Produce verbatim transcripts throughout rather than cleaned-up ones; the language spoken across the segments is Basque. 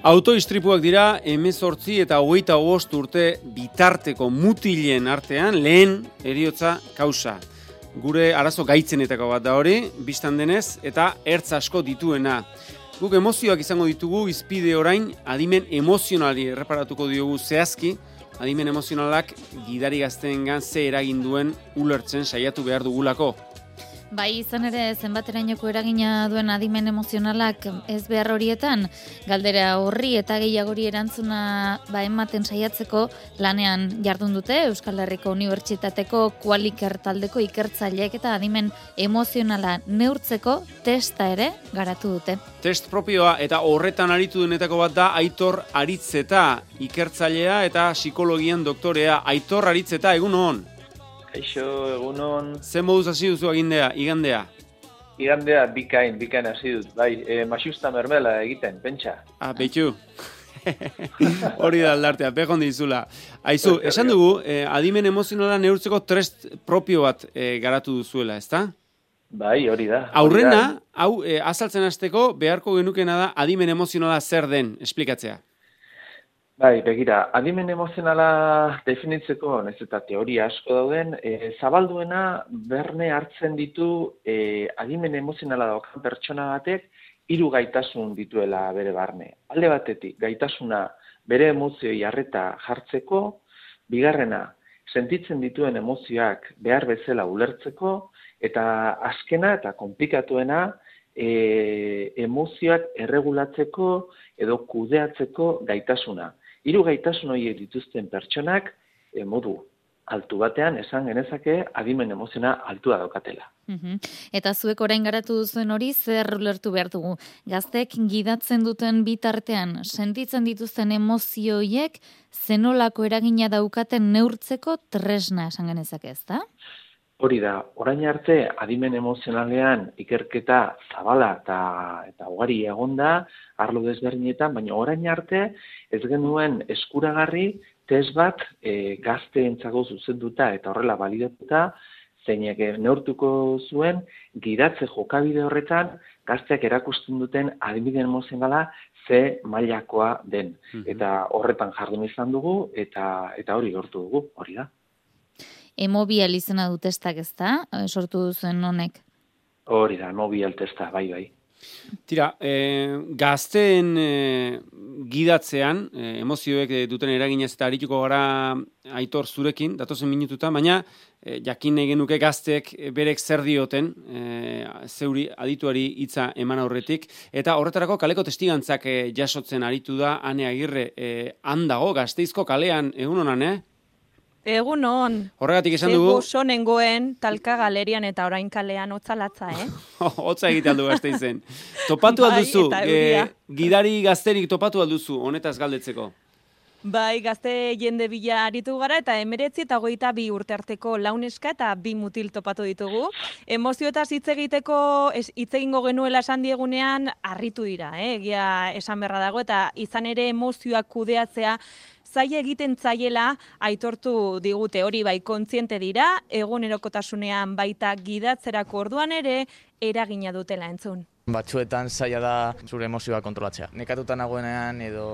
Autoistripuak dira hemezortzi eta hogeita bost urte bitarteko mutilen artean lehen heriotza kausa. Gure arazo gaitzenetako bat da hori, bistan denez, eta ertz asko dituena. Guk emozioak izango ditugu, izpide orain adimen emozionali erreparatuko diogu zehazki, adimen emozionalak gidari gazteengan ze eragin duen ulertzen saiatu behar dugulako. Bai, izan ere, zenbaterainoko eragina duen adimen emozionalak ez behar horietan, galdera horri eta gehiagori erantzuna ba, ematen saiatzeko lanean jardun dute Euskal Herriko Unibertsitateko Qualiker taldeko ikertzaileek eta adimen emozionala neurtzeko testa ere garatu dute. Test propioa eta horretan aritu denetako bat da Aitor Aritzeta, ikertzailea eta psikologian doktorea. Aitor Aritzeta, egun hon? Eixo, egunon. Zer moduz hasi duzu agindea, igandea? Igandea bikain, bikain hasi dut. Bai, e, masiusta mermela egiten, pentsa. Ah, betxu. Hori da aldartea, pekon dizula. Aizu, esan dugu, eh, adimen emozionala neurtzeko test propio bat eh, garatu duzuela, ezta? Bai, hori da. Aurrena, hau eh, azaltzen hasteko beharko genukena da adimen emozionala zer den, esplikatzea. Bai, begira, adimen emozionala definitzeko, ez eta teoria asko dauden, e, zabalduena berne hartzen ditu e, adimen emozionala daukan pertsona batek hiru gaitasun dituela bere barne. Alde batetik, gaitasuna bere emozioi arreta jartzeko, bigarrena, sentitzen dituen emozioak behar bezala ulertzeko, eta azkena eta konplikatuena, e, emozioak erregulatzeko edo kudeatzeko gaitasuna. Hiru gaitasun horiek dituzten pertsonak e, modu altu batean esan genezake adimen emoziona altua daukatela. Uhum. Eta zuek orain garatu duzuen hori zer ulertu behar dugu? Gaztek gidatzen duten bitartean sentitzen dituzten emozioiek zenolako eragina daukaten neurtzeko tresna esan genezake, ezta? Hori da, orain arte adimen emozionalean ikerketa zabala eta, eta ugari egonda, arlo desberdinetan, baina orain arte ez genuen eskuragarri test bat e, gazteentzako zuzenduta eta horrela balidatuta, zeinek neurtuko zuen gidatze jokabide horretan gazteak erakusten duten adimen emozionala ze mailakoa den. Mm-hmm. Eta horretan jardun izan dugu eta, eta hori lortu dugu, hori da. Emobial izena du testak, ezta? Sortu duzuen honek. Hori da, emobial testa, bai, bai. Tira, e, gazteen e, gidatzean, e, emozioek duten eraginez eta arituko gara Aitor zurekin, datozen minututa, baina e, jakin nahi genuke gazteek berek zer dioten, e, zeuri adituari hitza eman aurretik, eta horretarako kaleko testigantzak e, jasotzen aritu da Ane Agirre, e, handago, Gasteizko kalean, egun honan, eh? Egun on. Horregatik esan dugu. Zegu sonengoen talka galerian eta orain kalean hotzalatza, eh? Hotza egite aldu Gasteizen. Topatu alduzu, bai, gidari gazterik topatu alduzu, honetaz galdetzeko. Bai, gazte jende bila aritu gara eta emeretzi eta hogeita bi urte arteko launeska eta bi mutil topatu ditugu. Emozioetaz hitz egiteko hitz egingo genuela esan diegunean harritu dira, eh? Egia esan beharra dago eta izan ere emozioak kudeatzea zaila egiten zaiela aitortu digute, hori bai kontziente dira, egunerokotasunean baita gidatzerako orduan ere eragina dutela entzun. Batzuetan zaila da zure emozioa kontrolatzea. Nekatuta nagoenean edo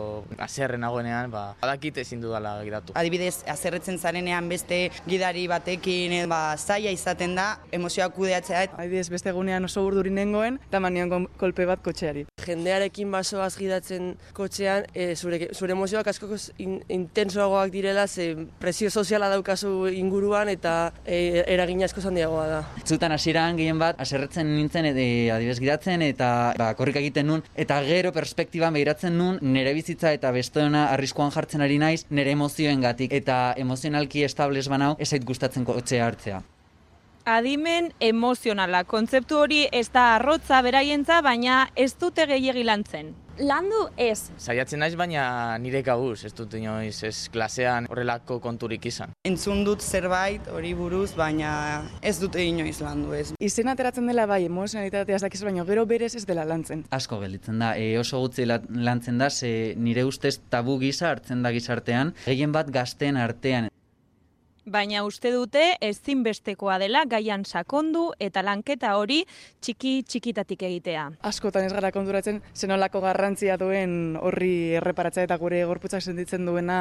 haserre nagoenean, ba, badakit ezin dudala gidatu. Adibidez, haserretzen zarenean beste gidari batekin, ba, zaila izaten da emozioa kudeatzea. Adibidez, beste egunean oso urduri nengoen, eta manion kolpe bat kotxeari. Jendearekin basoaz gidatzen kotxean, e, zure, zure emozioak asko in, intensoagoak direla, ze presio soziala daukazu inguruan eta e, eragina asko handiagoa da. Zutan hasieran gehien bat, haserretzen nintzen, e, adibidez gidatzen, eta ba, korrika egiten nun, eta gero perspektiban behiratzen nun, nire bizitza eta besteona arriskuan jartzen ari naiz, nire emozioengatik eta emozionalki estables banau, ez zait gustatzen kotxea hartzea. Adimen emozionala, kontzeptu hori ez da arrotza beraientza, baina ez dute gehiegi lantzen. Landu ez. Saiatzen naiz, baina nire kabuz, ez dut inoiz ez klasean horrelako konturik izan. Entzun dut zerbait hori buruz, baina ez dute inoiz landu ez. Izen ateratzen dela bai, emozionalitatea ez dakiz, baina gero berez ez dela lantzen. Asko gelditzen da, e, oso gutxi lantzen da, ze nire ustez tabu gisa hartzen da gizartean, gehien bat gazteen artean. Baina uste dute ezinbestekoa dela gaian sakondu eta lanketa hori txiki txikitatik egitea. Askotan ez gara konturatzen zenolako garrantzia duen horri erreparatzea eta gure gorputzak sentitzen duena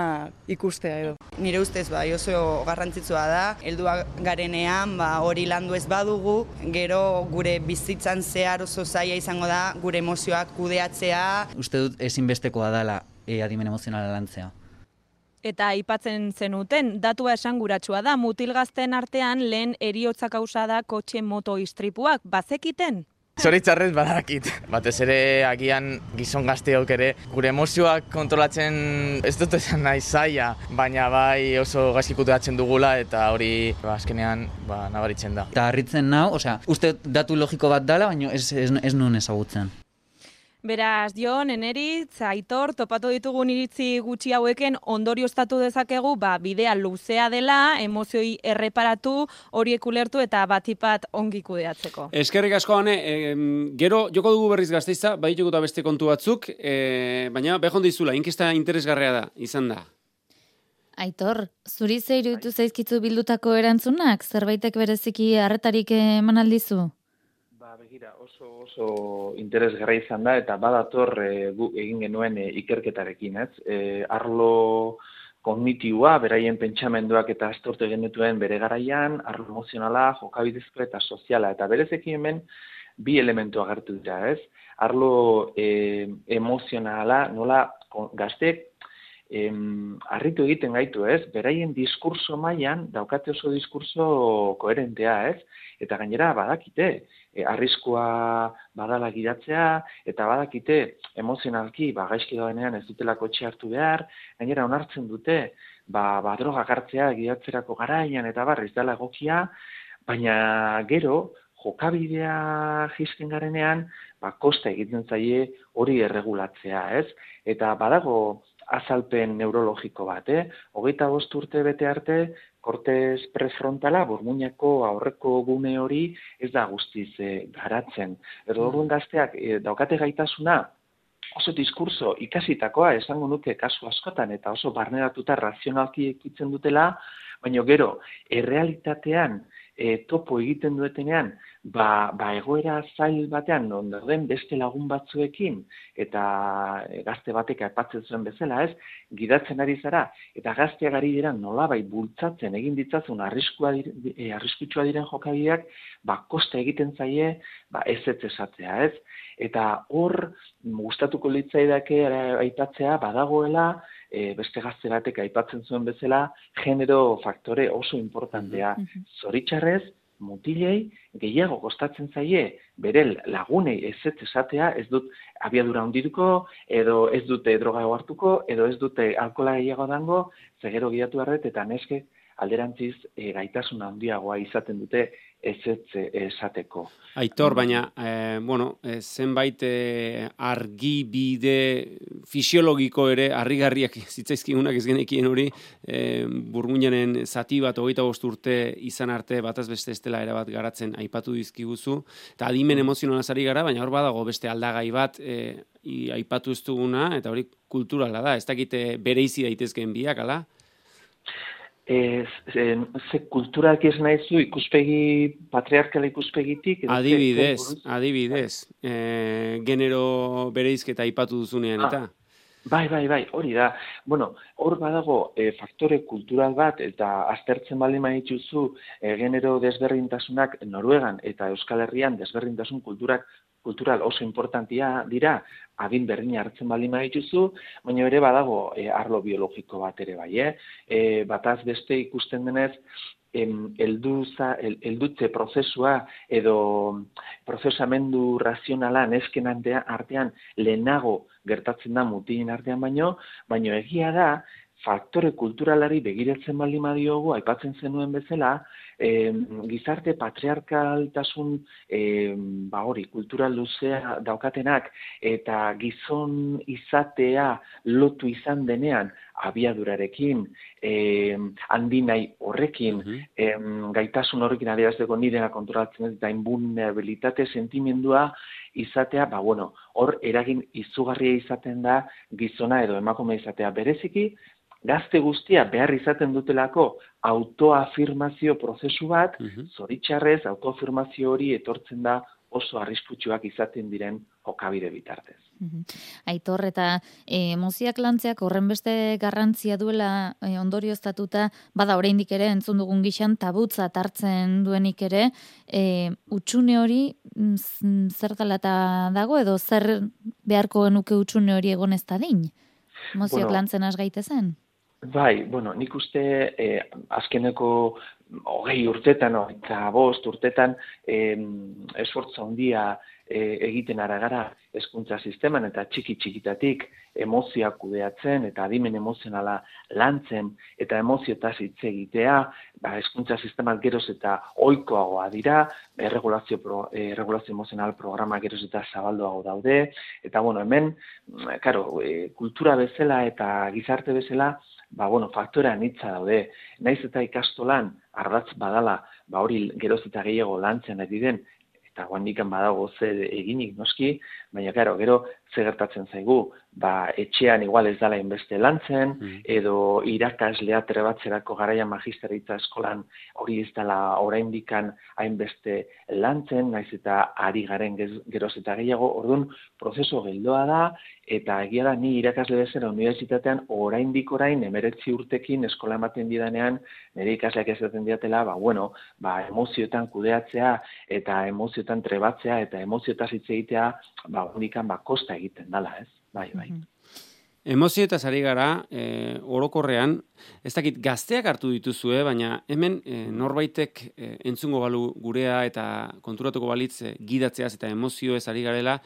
ikustea edo. Nire ustez bai oso garrantzitsua da, heldua garenean ba, hori landu ez badugu, gero gure bizitzan zehar oso zaila izango da gure emozioak kudeatzea. Uste dut ezinbestekoa dela e, adimen emozionala lantzea. Eta aipatzen zenuten, datua esanguratsua da, mutilgazten artean lehen heriotza kausa da kotxe moto istripuak, bazekiten? Zoritzarrez badakit. Batez ere agian gizon gazteok ere gure emozioak kontrolatzen ez dut esan nahi zaila, baina bai oso gaizki kudeatzen dugula eta hori ba, azkenean ba, nabaritzen da. Eta harritzen nau, osea, uste datu logiko bat dela, baina ez, ez, ez nuen ezagutzen. Beraz, Jon, Eneritz, Aitor, topatu ditugun iritzi gutxi haueken ondorioztatu dezakegu, ba, bidea luzea dela, emozioi erreparatu, horiek ulertu eta batipat ongi kudeatzeko. Eskerrik asko, Ane, e, gero joko dugu berriz Gasteiza, bai joko beste kontu batzuk, e, baina behon dizula, inkesta interesgarria da, izan da. Aitor, zuri ze iruditu zaizkitzu bildutako erantzunak, zerbaitek bereziki harretarik eman aldizu? Begira, oso oso interesgarria izan da eta badator e, gu egin genuen e, ikerketarekin, ez? E, arlo kognitiboa, beraien pentsamenduak eta astortu genituen bere garaian, arlo emozionala, jokabidezko eta soziala, eta berezeki hemen bi elementu agertu dira, ez? Arlo e, emozionala, nola gazteek Em, harritu egiten gaitu, ez? Beraien diskurso mailan daukate oso diskurso koherentea, ez? Eta gainera badakite, e, arriskua badala gidatzea, eta badakite emozionalki, ba, gaizki dagoenean ez dutela kotxe hartu behar, gainera onartzen dute, ba, ba drogak hartzea gidatzerako garaian eta barriz dela egokia, baina gero, jokabidea jizken garenean, ba, kosta egiten zaie hori erregulatzea, ez? Eta badago azalpen neurologiko bat, eh? Hogeita bost urte bete arte, kortez prefrontala, burmuinako aurreko gune hori ez da guztiz eh, garatzen. Erdo orduan gazteak eh, daukate gaitasuna, oso diskurso ikasitakoa esango nuke kasu askotan eta oso barneratuta razionalki ekitzen dutela, baina gero, errealitatean e, topo egiten duetenean, ba, ba egoera zail batean non dauden beste lagun batzuekin eta e, gazte batek aipatzen zuen bezala, ez, gidatzen ari zara eta gazteak ari dira nolabait bultzatzen egin ditzazun arriskua e, arriskutsua diren jokabideak, ba kosta egiten zaie, ba ez ez esatzea, ez? Eta hor gustatuko litzaidake aipatzea badagoela e, beste gazte batek aipatzen zuen bezala genero faktore oso importantea. Zoritxarrez, mutilei gehiago kostatzen zaie bere lagunei ez ez esatea, ez dut abiadura handituko, edo ez dute droga hartuko, edo ez dute alkohola gehiago dango, ze gero gidatu arret eta neske alderantziz e, gaitasun handiagoa izaten dute ez ez esateko. Aitor, baina, eh, bueno, eh, zenbait eh, argibide fisiologiko ere, harrigarriak zitzaizkigunak ez genekien hori, eh, burmuinaren zati bat, hogeita bost urte izan arte, bataz beste estela erabat garatzen aipatu dizkiguzu, eta adimen emozionalaz ari gara, baina hor badago beste aldagai bat, eh, i, aipatu ez duguna, eta hori kulturala da, ez dakite bereizi daitezkeen biak, ala? Ez, ze, ze kulturak ez nahizu ikuspegi, patriarkala ikuspegitik? Adibidez, adibidez, e, genero bereizketa aipatu duzunean, eta? Ah, bai, bai, bai, hori da. Bueno, hor badago e, faktore kultural bat, eta aztertzen baldin badituzu e, genero desberdintasunak Noruegan eta Euskal Herrian desberdintasun kulturak kultural oso importantia dira, adin berdina hartzen baldin badituzu, baina ere badago e, arlo biologiko bat ere bai, eh? E, bataz beste ikusten denez, em, elduza, el, eldutze prozesua edo prozesamendu razionala nesken artean lehenago gertatzen da mutilen artean baino, baino egia da, faktore kulturalari begiratzen baldin badiogu, aipatzen zenuen bezala, eh, gizarte patriarkaltasun eh, ba hori, kultural luzea daukatenak eta gizon izatea lotu izan denean abiadurarekin, eh, handinai horrekin, eh, gaitasun horrekin adierazteko nirena kontrolatzen ez eta invulnerabilitate sentimendua izatea, ba bueno, hor eragin izugarria izaten da gizona edo emakume izatea bereziki, gazte guztia behar izaten dutelako autoafirmazio prozesu bat, zoritxarrez autoafirmazio hori etortzen da oso arriskutsuak izaten diren jokabide bitartez. Aitor, eta e, emozioak lantzeak horren beste garrantzia duela e, ondorioztatuta, bada oraindik ere entzun dugun gixan tabutzat hartzen duenik ere, e, utxune hori mm, zer dela eta dago edo zer beharko genuke utxune hori egon ez dadin? Emozioak bueno, lantzen has gaitezen? Bai, bueno, nik uste eh, azkeneko hogei urtetan, no, eta bost urtetan eh, esfortza handia eh, egiten ara gara hezkuntza sisteman eta txiki txikitatik emozioak kudeatzen eta adimen emozionala lantzen eta emoziotaz hitz egitea, ba, hezkuntza sistemak geroz eta ohikoagoa dira, erregulazio, pro, eh, regulazio emozional programa geroz eta zabalduago daude, eta bueno, hemen, karo, eh, kultura bezala eta gizarte bezala, ba, bueno, faktora anitza daude. Naiz eta ikastolan ardatz badala, ba, hori geroz eta gehiago lantzen ari den, eta guandikan badago ze eginik noski, baina, karo, gero, ze gertatzen zaigu, ba, etxean igual ez dala inbeste lantzen, mm. edo irakaslea trebatzerako garaia magisteritza eskolan hori ez dala oraindikan hainbeste lantzen, naiz eta ari garen geroz eta gehiago, orduan, prozeso geldoa da, eta egia da, ni irakasle bezala unibertsitatean oraindik orain emeretzi urtekin eskola ematen didanean, nire ikasleak esaten diatela, ba, bueno, ba, emozioetan kudeatzea, eta emozioetan trebatzea, eta emoziotaz hitz egitea, ba, unikan, ba, kosta egiten dala, ez? Bai, bai. Emozioetaz ari gara, e, orokorrean, ez dakit gazteak hartu dituzue, baina hemen e, norbaitek e, entzungo balu gurea eta konturatuko balitz e, gidatzeaz eta emozioez ari garela,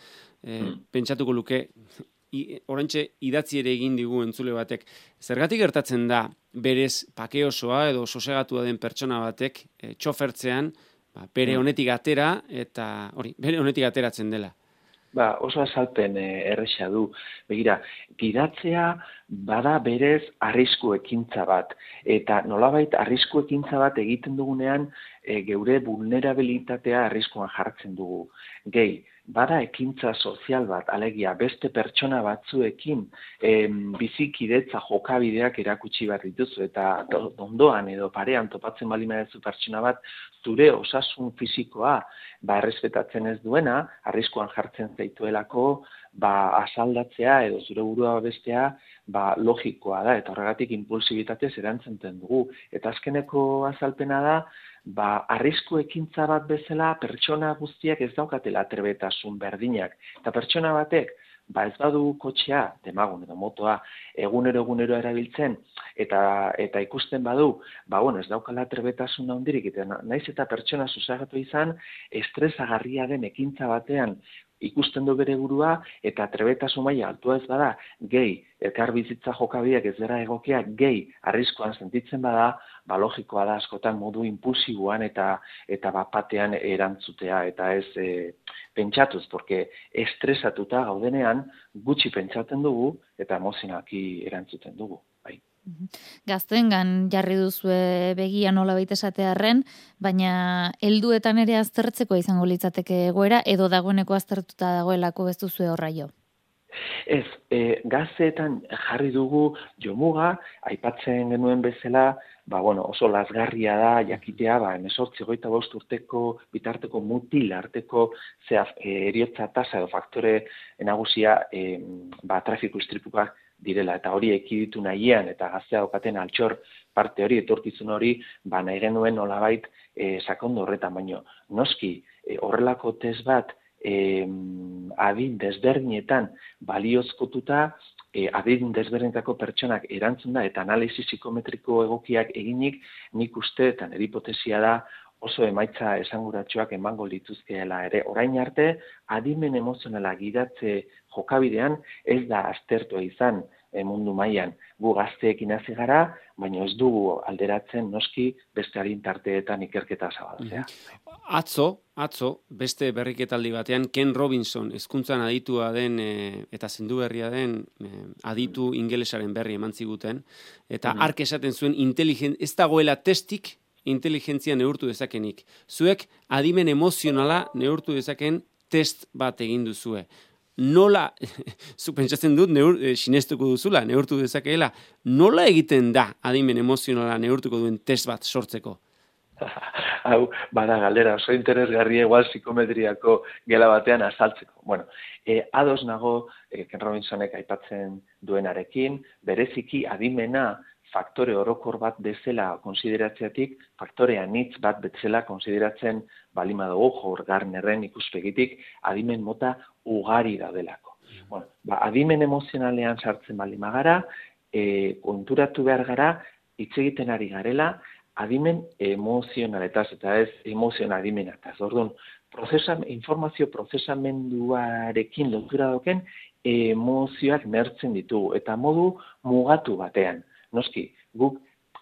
e, mm. pentsatuko luke, orantxe idatzi ere egin digu entzule batek. Zergatik gertatzen da, berez pake osoa edo sosegatua den pertsona batek e, txofertzean, ba, bere honetik atera, eta hori, bere honetik ateratzen dela. Ba, oso azalpen eh, erresa du. Begira, gidatzea bada berez arrisku ekintza bat. Eta nolabait arrisku ekintza bat egiten dugunean e, geure vulnerabilitatea arriskuan jartzen dugu. Gehi, bada ekintza sozial bat, alegia beste pertsona batzuekin em, bizikidetza jokabideak erakutsi behar dituzu, eta ondoan edo parean topatzen bali madezu pertsona bat, zure osasun fisikoa ba, errespetatzen ez duena, arriskuan jartzen zaituelako, ba, asaldatzea edo zure burua bestea, ba, logikoa da, eta horregatik impulsibitatez erantzenten dugu. Eta azkeneko azalpena da, ba, arrisku ekintza bat bezala pertsona guztiak ez daukatela trebetasun berdinak. Eta pertsona batek, ba ez badu kotxea, demagun edo motoa, egunero egunero erabiltzen, eta eta ikusten badu, ba bueno, ez daukala trebetasun handirik, eta naiz eta pertsona susagatu izan, estresagarria den ekintza batean ikusten du bere burua, eta trebetasun maila altua ez bada, gehi, elkar bizitza jokabideak ez dira egokiak, gehi, arriskuan sentitzen bada, ba logikoa da askotan modu impulsiboan eta eta bapatean erantzutea, eta ez e, pentsatuz, porque estresatuta gaudenean gutxi pentsatzen dugu eta emozionalki erantzuten dugu. Bai. Gazteengan jarri duzue begia nolabait esatearren, baina helduetan ere aztertzeko izango litzateke egoera edo dagoeneko aztertuta dagoelako ez duzue horra jo. Ez, e, gazteetan jarri dugu jomuga, aipatzen genuen bezala, ba, bueno, oso lazgarria da jakitea, ba, hemezortzi hogeita bost urteko bitarteko mutil arteko zehaz, e, eriotza tasa edo faktore nagusia e, ba, trafiko istripuak direla, eta hori ekiditu nahian, eta gaztea daukaten altxor parte hori, etorkizun hori, ba, nahi genuen nolabait e, sakondo horretan, baino, noski, e, horrelako test bat, E, adin desberdinetan baliozkotuta, e, adin desberdinetako pertsonak erantzun da eta analisi psikometriko egokiak eginik, nik uste eta nire hipotesia da oso emaitza esanguratsuak emango lituzkeela ere. Orain arte, adimen emozionala gidatze jokabidean ez da aztertua izan e, mundu mailan. Gu gazteekin hasi gara, baina ez dugu alderatzen noski beste adintarteetan ikerketa zabaltzea. Atzo, atzo, beste berriketaldi batean, Ken Robinson, hezkuntzan aditua den e, eta zendu berria den e, aditu ingelesaren berri eman ziguten, eta mm-hmm. ark esaten zuen inteligen, ez dagoela testik inteligentzia neurtu dezakenik. Zuek adimen emozionala neurtu dezaken test bat egin duzue. nola, zu pentsatzen dut, neur, e, sinestuko duzula, neurtu dezakeela, nola egiten da adimen emozionala neurtuko duen test bat sortzeko? Hau, bada galdera, oso interesgarria igual psikometriako gela batean azaltzeko. Bueno, e, ados nago, e, Ken Robinsonek aipatzen duenarekin, bereziki adimena faktore orokor bat bezala konsideratzeatik, faktore anitz bat bezala konsideratzen balima dugu Howard Gardnerren ikuspegitik adimen mota ugari daudelako. Bueno, ba, adimen emozionalean sartzen balima gara, e, konturatu behar gara, hitz egiten ari garela, adimen emozionaletaz eta ez emozion adimenataz. Orduan, prozesam, informazio prozesamenduarekin lotura doken emozioak nertzen ditugu eta modu mugatu batean. Noski, guk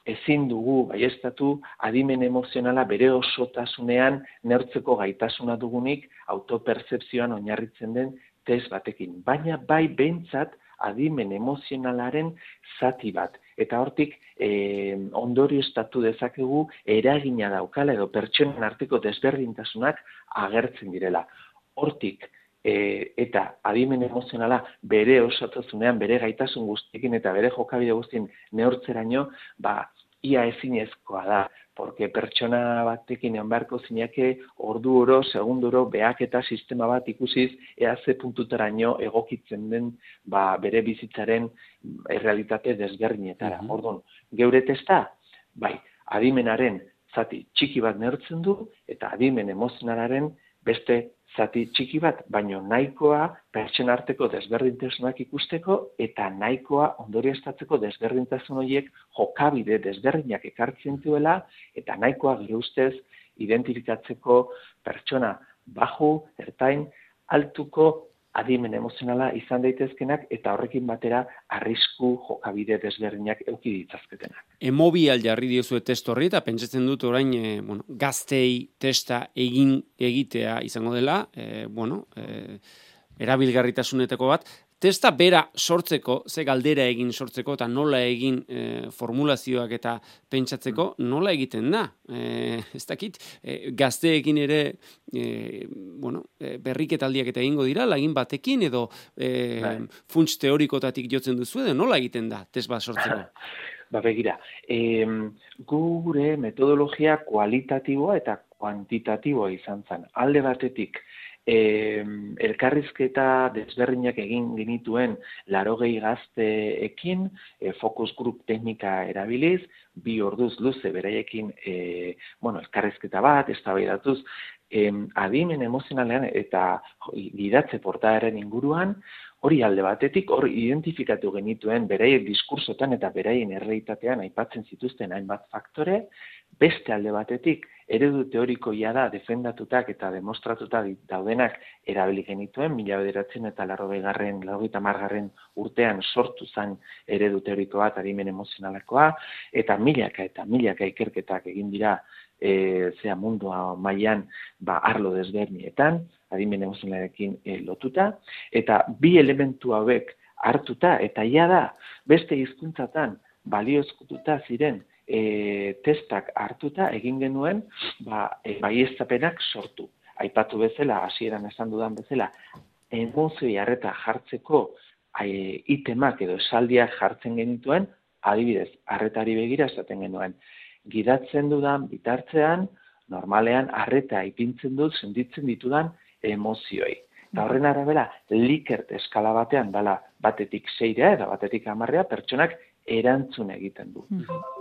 ezin dugu baiestatu adimen emozionala bere osotasunean neurtzeko gaitasuna dugunik autopertzepzioan oinarritzen den test batekin. Baina bai behintzat adimen emozionalaren zati bat. Eta hortik eh, ondorioztatu dezakegu eragina daukala edo pertsonen arteko desberdintasunak agertzen direla. Hortik E, eta adimen emozionala bere osotasunean, bere gaitasun guztiekin eta bere jokabide guztien neurtzeraino, ba, ia ezinezkoa da, porque pertsona batekin egon beharko zineke ordu oro, segunduro, behaketa sistema bat ikusiz, ea ze puntutaraino egokitzen den ba, bere bizitzaren errealitate desberdinetara. Mm-hmm. Orduan, geure testa, bai, adimenaren zati txiki bat neurtzen du, eta adimen emozionalaren beste zati txiki bat, baino nahikoa pertsona arteko desberdintasunak ikusteko eta nahikoa ondorioztatzeko desberdintasun horiek jokabide desberdinak ekartzen duela eta nahikoa gure ustez identifikatzeko pertsona baju, ertain, altuko adimen emozionala izan daitezkenak eta horrekin batera arrisku jokabide desberdinak eduki ditzazketenak. Emobial jarri diozue test horri eta pentsatzen dut orain e, bueno, gaztei testa egin egitea izango dela, e, bueno, e, erabilgarritasunetako bat, testa bera sortzeko, ze galdera egin sortzeko eta nola egin e, formulazioak eta pentsatzeko, nola egiten da. E, ez dakit, e, gazteekin ere e, bueno, e, berriketaldiak eta egingo dira, lagin batekin edo e, funts teorikotatik jotzen duzu edo nola egiten da test bat sortzeko? Ba begira, e, gure metodologia kualitatiboa eta kuantitatiboa izan zen. Alde batetik, E, elkarrizketa desberdinak egin genituen laurogei gazteekin, e, focus group teknika erabiliz, bi orduz luze beraiekin e, bueno, elkarrizketa bat, eztabaidatuz, e, adimen emozionalean eta gidatze portaeren inguruan, hori alde batetik, hor identifikatu genituen beraien diskursotan eta beraien errealitatean aipatzen zituzten hainbat faktore, beste alde batetik, eredu teorikoia da defendatutak eta demostratuta daudenak erabili genituen, mila bederatzen eta larrogeigarren, laurogeita hamargarren urtean sortu zen eredu teoriko bat adimen emozionalakoa, eta milaka eta milaka ikerketak egin dira e, zea mundua mailan ba, arlo desberdinetan, adimen emozionalarekin e, lotuta, eta bi elementu hauek hartuta, eta ia da beste hizkuntzatan baliozkotuta ziren E, testak hartuta egin genuen ba, e, baieztapenak sortu. Aipatu bezala, hasieran esan dudan bezala, emozioi harreta jartzeko e, itemak edo esaldiak jartzen genituen, adibidez, harretari begira esaten genuen. Gidatzen dudan bitartzean, normalean harreta ipintzen dut sentitzen ditudan emozioi. Eta horren arabera, Likert eskala batean dala batetik seira eta batetik hamarrea pertsonak erantzun egiten du.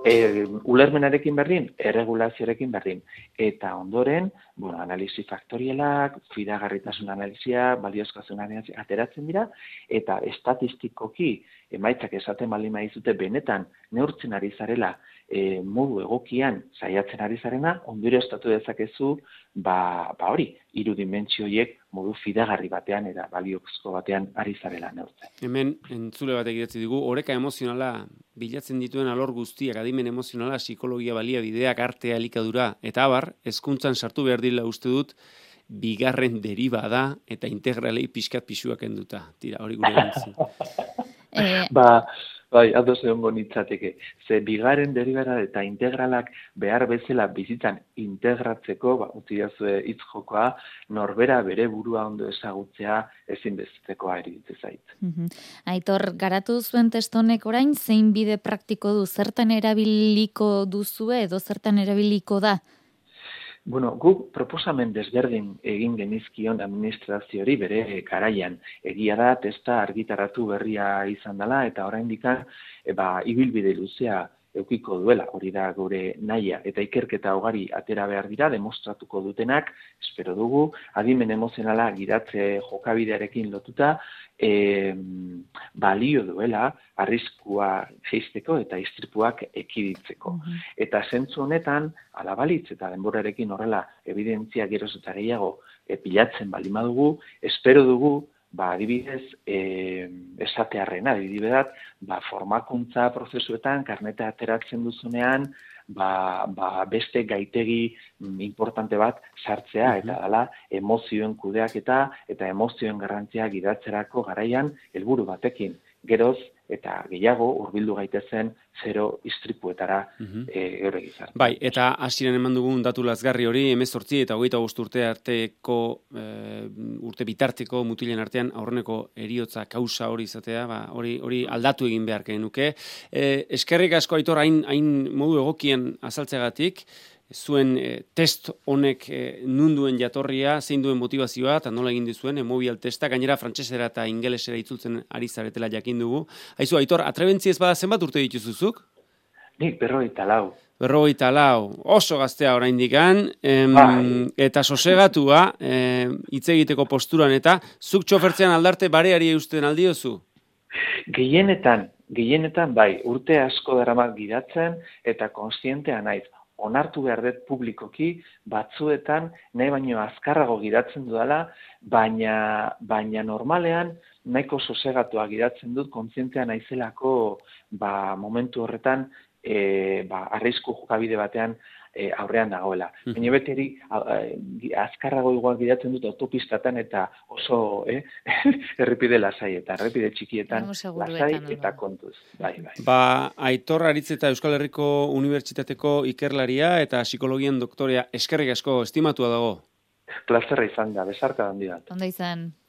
E, ulermenarekin berdin, erregulazioarekin berdin. Eta ondoren, bueno, analisi faktorielak, fidagarritasun analisia, baliozkotasun analisia ateratzen dira, eta estatistikoki emaitzak esaten baldin badizute benetan neurtzen ari zarela e, modu egokian saiatzen ari zarena, ondorioztatu dezakezu, ba, ba hori, hiru dimentsio horiek modu fidagarri batean eta baliozko batean ari zarela neurtzen. Hemen entzule batek idatzi digu, oreka emozionala bilatzen dituen alor guztiak, adimen emozionala, psikologia baliabideak, artea, elikadura, eta abar, hezkuntzan sartu behar dira uste dut, bigarren deriba da, eta integralei pixkat pixuak enduta. Tira, hori gure gantzi. ba, Bai, ados egongo nitzateke. Ze bigarren derivada eta integralak behar bezala bizitzan integratzeko, ba, utziazue hitz jokoa, norbera bere burua ondo ezagutzea ezinbestekoa iruditzen zait. Mhm. Aitor, garatu zuen testu honek orain zein bide praktiko du, zertan erabiliko duzue edo zertan erabiliko da? Bueno, guk proposamen desberdin egin genizkion administraziori bere garaian. Egia da, testa argitaratu berria izan dela, eta oraindik e, ba, ibilbide luzea eukiko duela, hori da gure nahia, eta ikerketa ugari atera behar dira, demostratuko dutenak, espero dugu, adimen emozionala gidatze jokabidearekin lotuta, e, balio duela, arriskua jeisteko eta istripuak ekiditzeko. Mm-hmm. Eta zentzu honetan, alabalitz eta denborarekin horrela evidentzia geroz eta gehiago e, pilatzen balima dugu, espero dugu, ba, adibidez, e, esatearrena, adibideat, ba, formakuntza prozesuetan, karneta ateratzen duzunean, ba, ba, beste gaitegi mm, importante bat sartzea, mm-hmm. eta dala emozioen kudeaketa eta emozioen garrantzia gidatzerako garaian helburu batekin. Geroz, eta gehiago hurbildu gaitezen zero istripuetara mm-hmm. e, eure gizarte. Bai, eta hasieran eman dugun datu lazgarri hori, hemezortzi eta hogeita bost urte arteko, e, urte bitarteko mutilen artean aurreneko heriotza kausa hori izatea, ba, hori hori aldatu egin behar genuke. E, eskerrik asko Aitor, hain, hain modu egokien azaltzegatik, zuen e, test honek e, nunduen jatorria, zein duen motivazioa, eta nola egin dizuen, emobial testa, gainera frantsesera eta ingelesera itzultzen ari zaretela jakin dugu. Haizu, Aitor, atrebentzi ez bada zenbat urte dituzuzuk? Nik berrogeita lau. Berrogeita lau, oso gaztea oraindikan, em, eta sosegatua, hitz egiteko posturan, eta zuk txofertzean aldarte bareari eusten aldiozu? Gehienetan, gehienetan bai, urte asko daramat gidatzen, eta konstientea naiz. Onartu behar dut publikoki, batzuetan nahi baino azkarrago gidatzen dudala, baina, baina normalean nahiko sosegatua gidatzen dut, kontzientea naizelako ba, momentu horretan e, ba, arrisku jokabide batean e, aurrean dagoela. Mm. Baina beteri azkarrago igual gidatzen dut autopistatan eta oso eh, errepide lasai eta errepide txikietan lasai eta kontuz. Bai, bai. Ba, Aitor Aritz eta Euskal Herriko Unibertsitateko ikerlaria eta psikologian doktorea eskerrik asko estimatua dago. Plazerra izan da, besarka handia. Ondo izan.